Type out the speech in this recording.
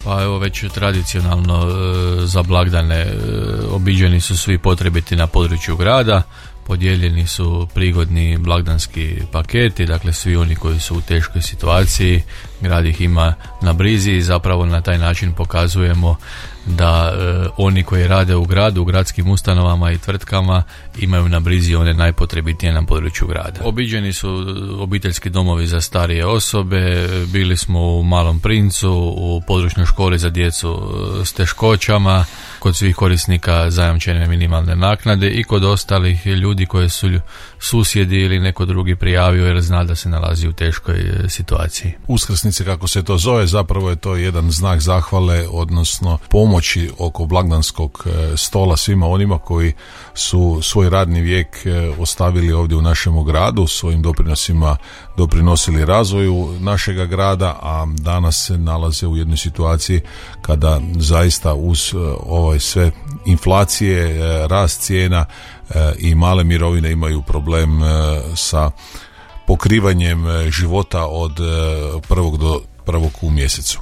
Pa evo već tradicionalno za blagdane obiđeni su svi potrebiti na području grada, podijeljeni su prigodni blagdanski paketi, dakle svi oni koji su u teškoj situaciji, grad ih ima na brizi i zapravo na taj način pokazujemo da oni koji rade u gradu, u gradskim ustanovama i tvrtkama imaju na brizi one najpotrebitije na području grada. Obiđeni su obiteljski domovi za starije osobe, bili smo u Malom Princu, u područnoj školi za djecu s teškoćama, kod svih korisnika zajamčene minimalne naknade i kod ostalih ljudi koje su susjedi ili neko drugi prijavio jer zna da se nalazi u teškoj situaciji. Uskrsnice, kako se to zove, zapravo je to jedan znak zahvale, odnosno pomoći oko blagdanskog stola svima onima koji su svoj radni vijek ostavili ovdje u našem gradu, svojim doprinosima doprinosili razvoju našega grada, a danas se nalaze u jednoj situaciji kada zaista uz sve inflacije, rast cijena i male mirovine imaju problem sa pokrivanjem života od prvog do prvog u mjesecu.